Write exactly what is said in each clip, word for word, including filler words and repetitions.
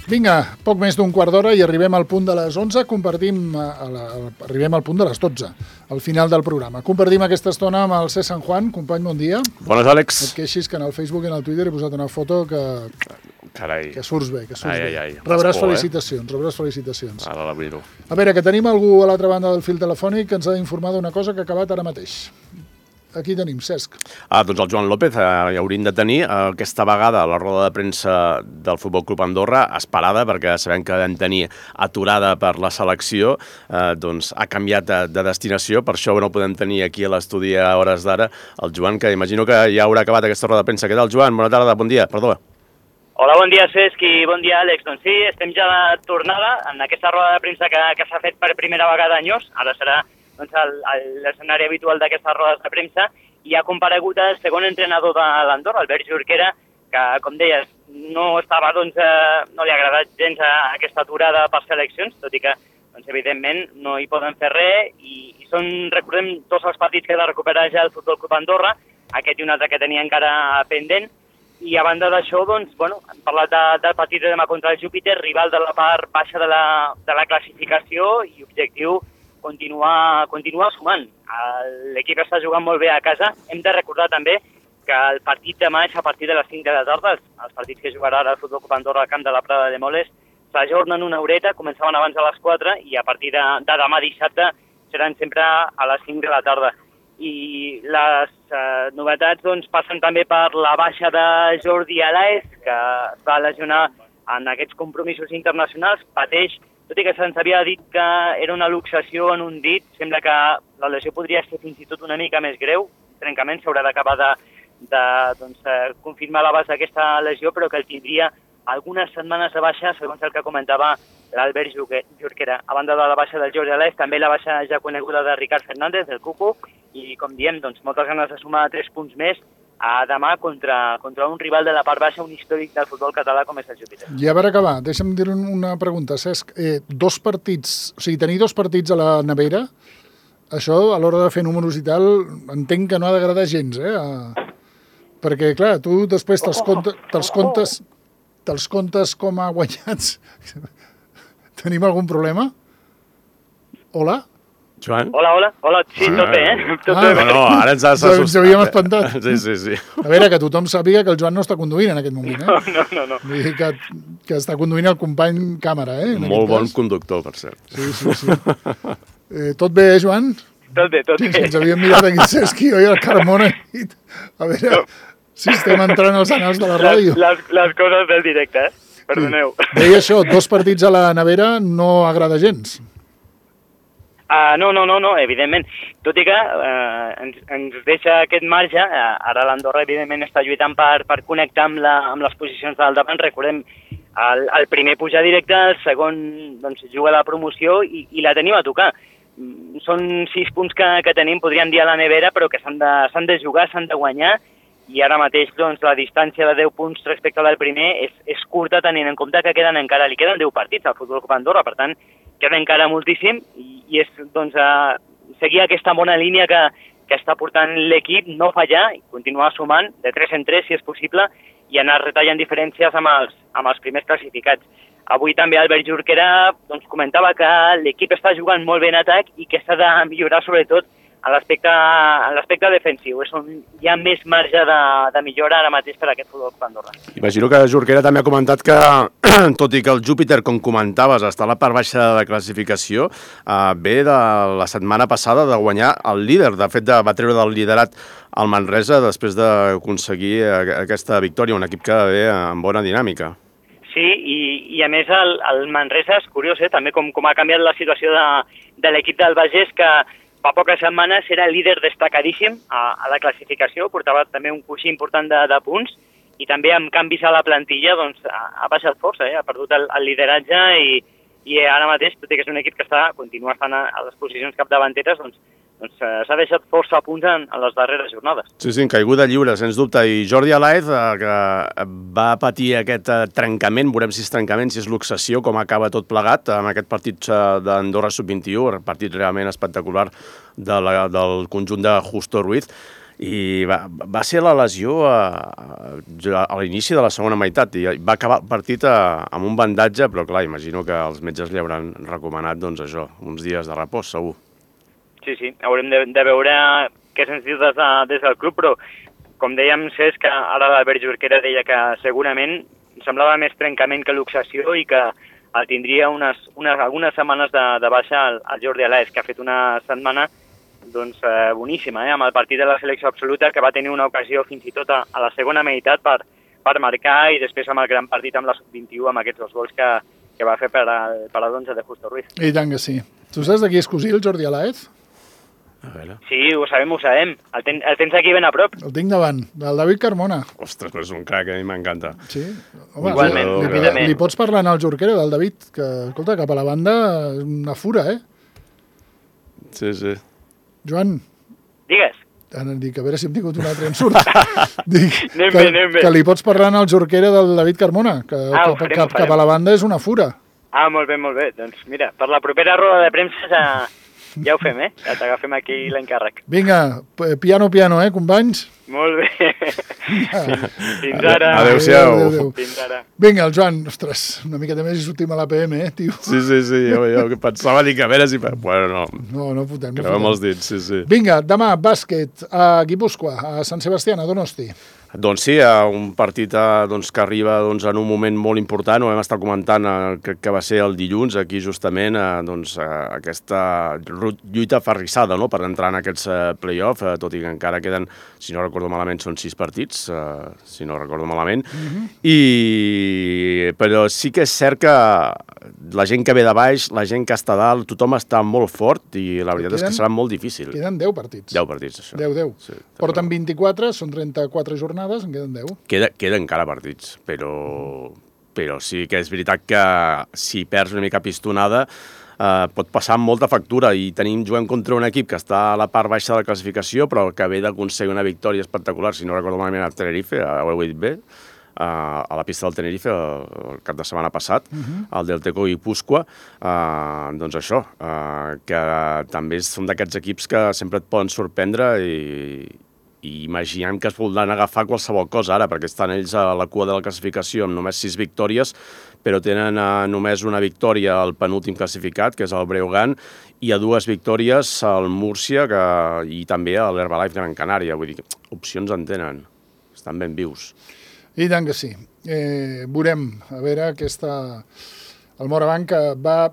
Vinga, poc més d'un quart d'hora i arribem al punt de les onze, compartim, a la, arribem al punt de les dotze, al final del programa. Compartim aquesta estona amb el C. San Juan. Company, bon dia. Bones, Àlex. Et queixis que en el Facebook i en el Twitter he posat una foto que, Carai. que surts bé, que surts ai, bé. ai, ai. Rebràs por, felicitacions, eh? rebràs felicitacions. Ara la miro. A veure, que tenim algú a l'altra banda del fil telefònic que ens ha d'informar d'una cosa que ha acabat ara mateix. Aquí tenim, Cesc. Ah, doncs el Joan López eh, ja hauríem de tenir eh, aquesta vegada la roda de premsa del Futbol Club Andorra esperada, perquè sabem que vam tenir aturada per la selecció, eh, doncs ha canviat de, de destinació, per això no podem tenir aquí a l'estudi a hores d'ara el Joan, que imagino que ja haurà acabat aquesta roda de premsa. Què tal, Joan? Bona tarda, bon dia, perdó. Hola, bon dia, Cesc, i bon dia, Àlex. Doncs sí, estem ja de tornada en aquesta roda de premsa que, que s'ha fet per primera vegada anyós. Ara serà doncs, l'escenari habitual d'aquestes rodes de premsa, i ha comparegut el segon entrenador de l'Andorra, Albert Jorquera, que, com deies, no estava, doncs, eh, no li ha agradat gens a aquesta aturada per seleccions, tot i que, doncs, evidentment, no hi poden fer res, i, i són, recordem, tots els partits que ha de recuperar ja el Futbol Club Andorra, aquest i un altre que tenia encara pendent, i a banda d'això, doncs, bueno, hem parlat de, del partit de demà contra el Júpiter, rival de la part baixa de la, de la classificació i objectiu continuar, continuar sumant. L'equip està jugant molt bé a casa. Hem de recordar també que el partit demà és a partir de les cinc de la tarda, els, els partits que jugarà ara el Futbol Club Andorra al camp de la Prada de Moles s'ajornen una horeta, començaven abans a les quatre i a partir de, de demà dissabte seran sempre a les cinc de la tarda. I les eh, novetats doncs, passen també per la baixa de Jordi Alaez, que es va lesionar en aquests compromisos internacionals, pateix, tot i que se'ns havia dit que era una luxació en un dit, sembla que la lesió podria ser fins i tot una mica més greu, trencament s'haurà d'acabar de, de doncs, eh, confirmar l'abast d'aquesta lesió, però que el tindria algunes setmanes de baixa, segons el que comentava l'Albert Jorquera. A banda de la baixa del Jordi Alaez, també la baixa ja coneguda de Ricard Fernández, del Cucu, i com diem, doncs, moltes ganes de sumar tres punts més a demà contra, contra un rival de la part baixa, un històric del futbol català com és el Júpiter. I a veure acabar, deixa'm dir una pregunta, Cesc. Eh, dos partits, o sigui, tenir dos partits a la nevera, això a l'hora de fer números i tal, entenc que no ha d'agradar gens, eh? A... Perquè, clar, tu després te'ls comptes, te'ls comptes, te'ls comptes com a guanyats. Tenim algun problema? Hola? Joan? Hola, hola. Hola, sí, sí. Tot bé, eh? Tot ah, bé. No, no, ara ens has assustat. Ens havíem espantat. Sí, sí, sí. A veure, que tothom sàpiga que el Joan no està conduint en aquest moment, eh? No, no, no. no. Vull dir que, que està conduint el company càmera, eh? Molt bon conductor, per cert. Sí, sí, sí. Eh, tot bé, eh, Joan? Tot bé, tot bé. Sí, ens havíem mirat aquí, Cesc i jo i el Carmona. A veure si estem entrant als anals de la ràdio. Les, les, les coses del directe, eh? Perdoneu. Sí. Deia això, dos partits a la nevera no agrada gens. Uh, no, no, no, no, evidentment. Tot i que uh, ens, ens deixa aquest marge, uh, ara l'Andorra evidentment està lluitant per, per connectar amb, la, amb les posicions del davant. Recordem, el, el primer pujar directe, el segon doncs, juga la promoció i, i la tenim a tocar. Són sis punts que, que tenim, podríem dir a la nevera, però que s'han de, s'han de jugar, s'han de guanyar, i ara mateix doncs, la distància de deu punts respecte al primer és, és curta, tenint en compte que queden encara, li queden deu partits al Futbol Club Andorra, per tant, queda encara moltíssim, i, i és doncs, a seguir aquesta bona línia que, que està portant l'equip, no fallar, i continuar sumant de tres en tres, si és possible, i anar retallant diferències amb els, amb els primers classificats. Avui també Albert Jorquera doncs, comentava que l'equip està jugant molt bé en atac i que s'ha de millorar sobretot en l'aspecte defensiu. És on hi ha més marge de, de millora ara mateix per a aquest Futbol Club Andorra. Imagino que Jorquera també ha comentat que, tot i que el Júpiter, com comentaves, està a la part baixa de la classificació, eh, ve de la setmana passada de guanyar el líder. De fet, de, va treure del liderat el Manresa després d'aconseguir aquesta victòria, un equip que ve amb bona dinàmica. Sí, i, i a més el, el Manresa és curiós, eh? També com, com ha canviat la situació de, de l'equip del Bages, que fa poques setmanes era líder destacadíssim a, a la classificació, portava també un coixí important de, de punts, i també amb canvis a la plantilla doncs, ha, ha baixat força, eh? Ha perdut el, el lideratge i, i ara mateix, tot i que és un equip que està, continua estant a, a les posicions capdavanteres, doncs, doncs s'ha deixat força punts en, en les darreres jornades. Sí, sí, en caiguda lliure, sens dubte. I Jordi Alaez, eh, que va patir aquest eh, trencament, veurem si és trencament, si és luxació, com acaba tot plegat, amb aquest partit eh, d'Andorra sub vint i u, partit realment espectacular de la, del conjunt de Justo Ruiz. i va, va ser la lesió a, a l'inici de la segona meitat i va acabar el partit a, amb un bandatge, però clar, imagino que els metges li hauran recomanat doncs això, uns dies de repòs, segur. Sí, sí, haurem de, de veure què se'ns diu des, de, des del club, però com dèiem, Cesc, que ara l'Albert Jorquera deia que segurament semblava més trencament que luxació i que el tindria unes, unes, algunes setmanes de, de baixa al, al Jordi Alès, que ha fet una setmana doncs, eh, boníssima, eh, amb el partit de la selecció absoluta, que va tenir una ocasió fins i tot a, a la segona meitat per, per marcar i després amb el gran partit amb la sub vint-i-u, amb aquests dos gols que, que va fer per al, per a l'onze de Justo Ruiz. I tant que sí. Tu saps de qui és cosí, el Jordi Alaez? A veure. Sí, ho sabem, ho sabem. El, ten, el tens aquí ben a prop. El tinc davant, del David Carmona. Ostres, però és un crac, a mi m'encanta. Sí? Home, Igualment, li, li, igualment. li pots parlar al Jorquera, del David, que, escolta, cap a la banda, una fura, eh? Sí, sí. Joan, Digues. ara dic, a veure si hem tingut un altre ensurt. dic, Anem que, bé, anem bé. que li pots parlar al Jorquera del David Carmona, que Ah, ho cap, farem, cap, ho farem. cap a la banda és una fura. Ah, molt bé, molt bé. Doncs mira, per la propera roda de premsa ja, ja ho fem, eh? Ja t'agafem aquí l'encàrrec. Vinga, p- piano, piano, eh, companys? Molt bé. Fins ara. Adéu-siau. Adéu, adéu. Fins ara. Vinga, el Joan, ostres, una miqueta més i sortim a l'A P M, eh, tio? Sí, sí, sí, jo, jo pensava dir que a veure si... Bueno, no, No, no fotem, no creu amb fotem. els dits, sí, sí. Vinga, demà, bàsquet, a Guipúscoa, a Sant Sebastià, a Donosti. Doncs sí, eh, un partit eh, doncs, que arriba doncs, en un moment molt important, ho vam estar comentant, eh, crec que va ser el dilluns, aquí justament, eh, doncs, eh, aquesta ru- lluita ferrissada, no?, per entrar en aquests eh, play-off, eh, tot i que encara queden, si no recordo malament, són sis partits, eh, si no recordo malament, i... però sí que és cert que la gent que ve de baix, la gent que està a dalt, tothom està molt fort i la veritat és Queden- que serà molt difícil. Queden deu partits. deu partits, això. deu, deu. Sí, Porten vint-i-quatre, són trenta-quatre jornades, en queden deu. Queda, queda encara partits, però, però sí que és veritat que si perds una mica pistonada eh, pot passar amb molta factura i tenim, juguem contra un equip que està a la part baixa de la classificació però que ve d'aconseguir una victòria espectacular, si no recordo malament, a Tenerife, a ho he dit bé, a la pista del Tenerife el cap de setmana passat, uh-huh. al del Teco Guipúscoa, eh, doncs això, eh, que també són d'aquests equips que sempre et poden sorprendre i, i imaginem que es voldran agafar qualsevol cosa ara, perquè estan ells a la cua de la classificació amb només sis victòries, però tenen eh, només una victòria al penúltim classificat, que és el Breogán, i a dues victòries al Múrcia que, i també a l'Herbalife Gran Canària. Vull dir, opcions en tenen, estan ben vius. I tant que sí. Eh, veurem, a veure, aquesta... El Morabanc que va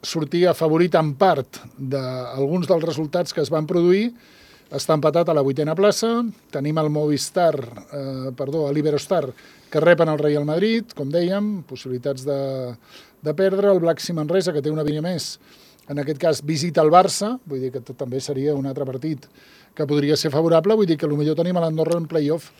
sortir afavorit en part d'alguns dels resultats que es van produir, està empatat a la vuitena plaça, tenim el Movistar, eh, perdó, l'Iberostar, que repen el Real Madrid, com dèiem, possibilitats de, de perdre, el Black Sea Manresa, que té una vinya més, en aquest cas visita el Barça, vull dir que també seria un altre partit que podria ser favorable, vull dir que potser tenim a l'Andorra en play-off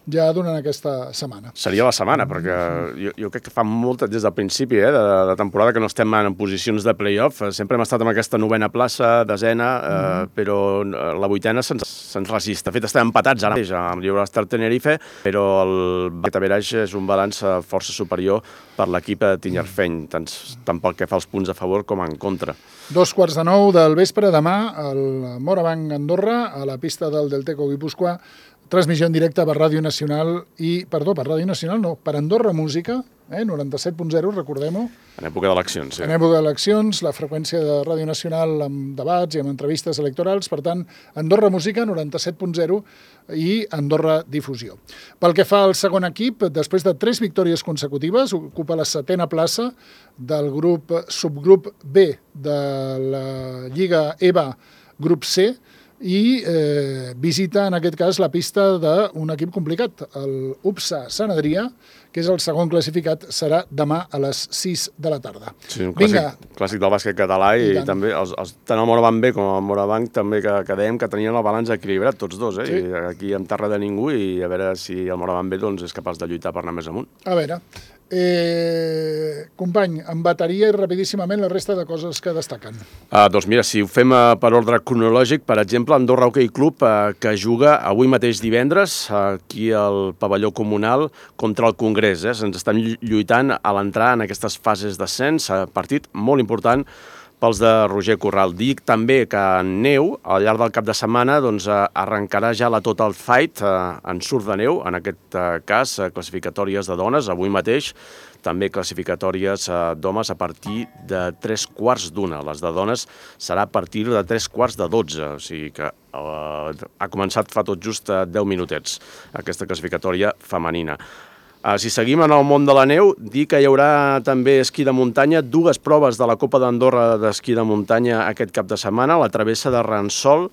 ja durant aquesta setmana. Seria la setmana, perquè jo, jo crec que fa molt des del principi eh, de, de temporada que no estem en posicions de play-off. Sempre hem estat en aquesta novena plaça, desena, eh, mm. però la vuitena se'ns se resista. De fet, estem empatats ara mateix amb l'Iberostar Tenerife, però el Betaverage és un balanç força superior per l'equip tinyarfeny, tant, tant pel que fa als punts a favor com en contra. Dos quarts de nou del vespre, demà, al Morabanc Andorra, a la pista del Delteco Guipúscoa, transmissió en directe per Ràdio Nacional i, perdó, per Ràdio Nacional no, per Andorra Música, eh, noranta-set punt zero, recordem-ho. En època d'eleccions, sí. En època d'eleccions, la freqüència de Ràdio Nacional amb debats i amb entrevistes electorals, per tant, Andorra Música, noranta-set punt zero i Andorra Difusió. Pel que fa al segon equip, després de tres victòries consecutives, ocupa la setena plaça del grup subgrup B de la Lliga E B A grup C, i eh, visita, en aquest cas, la pista d'un equip complicat, el U P S A Sant Adrià, que és el segon classificat, serà demà a les sis de la tarda. Sí, un clàssic, clàssic del bàsquet català i, i també els, els, tant el Morabanc B com el Morabanc també que, que dèiem que tenien el balanç equilibrat tots dos, eh? Sí. I aquí en terra de ningú i a veure si el Morabanc B doncs, és capaç de lluitar per anar més amunt. A veure, eh, company, en bateria i rapidíssimament la resta de coses que destaquen. Uh, doncs mira, si ho fem uh, per ordre cronològic, per exemple, Andorra Hockey Club, uh, que juga avui mateix divendres uh, aquí al pavelló comunal contra el Congrés. Eh? Ens estem lluitant a l'entrar en aquestes fases d'ascens, uh, partit molt important pels de Roger Corral. Dic també que en neu, al llarg del cap de setmana, doncs, arrencarà ja la Total Fight en surf de neu, en aquest cas classificatòries de dones, avui mateix, també classificatòries d'homes a partir de tres quarts d'una. Les de dones serà a partir de tres quarts de dotze, o sigui que eh, ha començat fa tot just deu minutets aquesta classificatòria femenina. Uh, si seguim en el món de la neu, dir que hi haurà també esquí de muntanya, dues proves de la Copa d'Andorra d'esquí de muntanya aquest cap de setmana, la travessa de Ransol,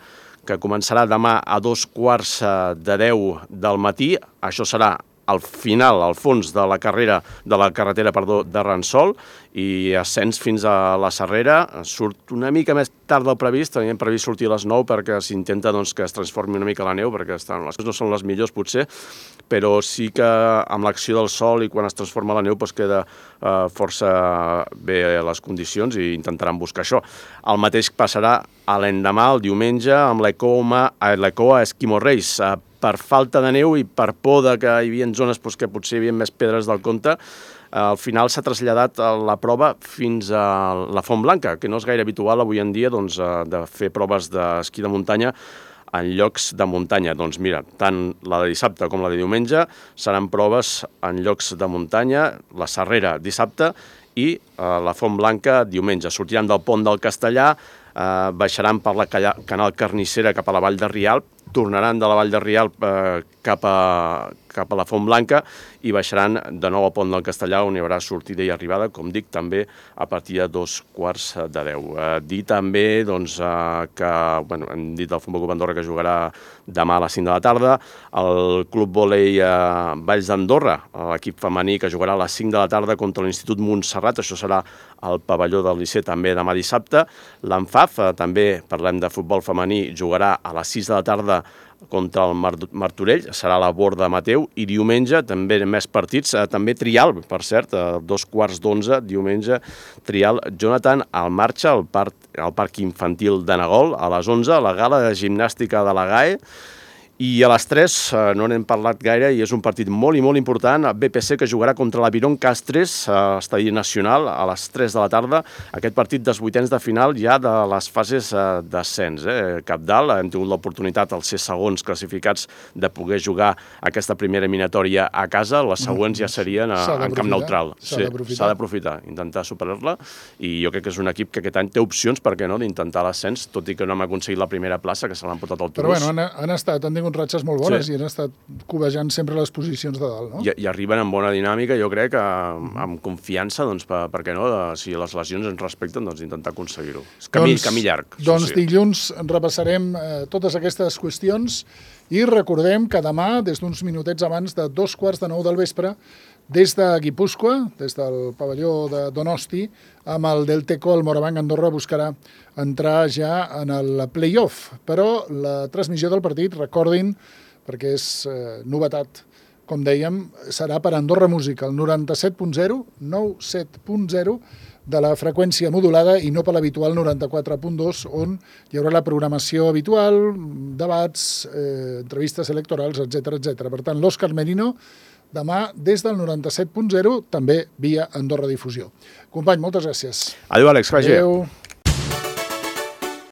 que començarà demà a dos quarts de deu del matí. Això serà al final, al fons de la carrera de la carretera, perdó, de Ransol, i ascens fins a la Serrera. Surt una mica més tard del previst, teníem previst sortir a les nou perquè s'intenta doncs, que es transformi una mica la neu, perquè estan, les coses no són les millors potser, però sí que amb l'acció del sol i quan es transforma la neu doncs queda eh, força bé les condicions i intentaran buscar això. El mateix passarà a l'endemà, el diumenge, amb l'Ecoa Esquimo Race. Eh, per falta de neu i per por de que hi havia zones doncs, que potser hi havia més pedres del compte, al final s'ha traslladat la prova fins a la Font Blanca, que no és gaire habitual avui en dia doncs, de fer proves d'esquí de muntanya en llocs de muntanya. Doncs mira, tant la de dissabte com la de diumenge seran proves en llocs de muntanya, la Serrera dissabte i eh, la Font Blanca diumenge. Sortiran del pont del Castellà, eh, baixaran per la Canal Carnissera cap a la Vall de Rialp, tornaran de la Vall de Rialp eh, cap, a, cap a la Font Blanca i baixaran de nou al pont del Castellà, on hi haurà sortida i arribada, com dic, també a partir de dos quarts de deu. Eh, dir també doncs, eh, que, bueno, hem dit el Futbol Club Andorra que jugarà demà a les cinc de la tarda, el Club Vòlei eh, Valls d'Andorra, l'equip femení que jugarà a les cinc de la tarda contra l'Institut Montserrat, això serà al pavelló del Liceu també demà dissabte. L'Anfaf, eh, també parlem de futbol femení, jugarà a les sis de la tarda contra el Martorell, serà la Borda Mateu, i diumenge també més partits, eh, també Trial, per cert, a dos quarts d'onze, diumenge, Trial, Jonathan, al marxa, al parc, al parc infantil de Nagol, a les onze, la gala de gimnàstica de la G A E, i a les tres, eh, no n'hem parlat gaire, i és un partit molt i molt important, B P C que jugarà contra l'Aviron Castres, a l'Estadi Nacional, a les tres de la tarda, aquest partit dels vuitens de final ja de les fases eh, d'ascens. Eh? Cabdal, hem tingut l'oportunitat als ser segons classificats de poder jugar aquesta primera eliminatòria a casa, les següents ja serien a, en camp neutral. S'ha sí, d'aprofitar, intentar superar-la, i jo crec que és un equip que aquest any té opcions, per què no, d'intentar l'ascens, tot i que no hem aconseguit la primera plaça, que se l'han portat al Toulouse. Però bueno, han, han estat, han tingut ratxes molt bones, sí, i han estat covejant sempre les posicions de dalt, no? I, i arriben amb bona dinàmica, jo crec, amb, amb confiança, doncs, per, per què no, de, si les lesions ens respecten, doncs intentar aconseguir-ho. És camí, doncs, camí llarg. Doncs sí. Dilluns repassarem eh, totes aquestes qüestions i recordem que demà, des d'uns minutets abans de dos quarts de nou del vespre, des de Guipúscoa, des del pavelló de Donosti, amb el Delteco, el Morabanc Andorra buscarà entrar ja en el play-off. Però la transmissió del partit, recordin, perquè és eh, novetat, com dèiem, serà per Andorra Música, el noranta-set punt zero, noranta-set punt zero, de la freqüència modulada i no per l'habitual noranta-quatre punt dos, on hi haurà la programació habitual, debats, eh, entrevistes electorals, etcètera etcètera. Per tant, l'Òscar Merino, demà des del noranta-set punt zero, també via Andorra Difusió. Company, moltes gràcies. Adéu, Àlex, que vagi bé. Adéu.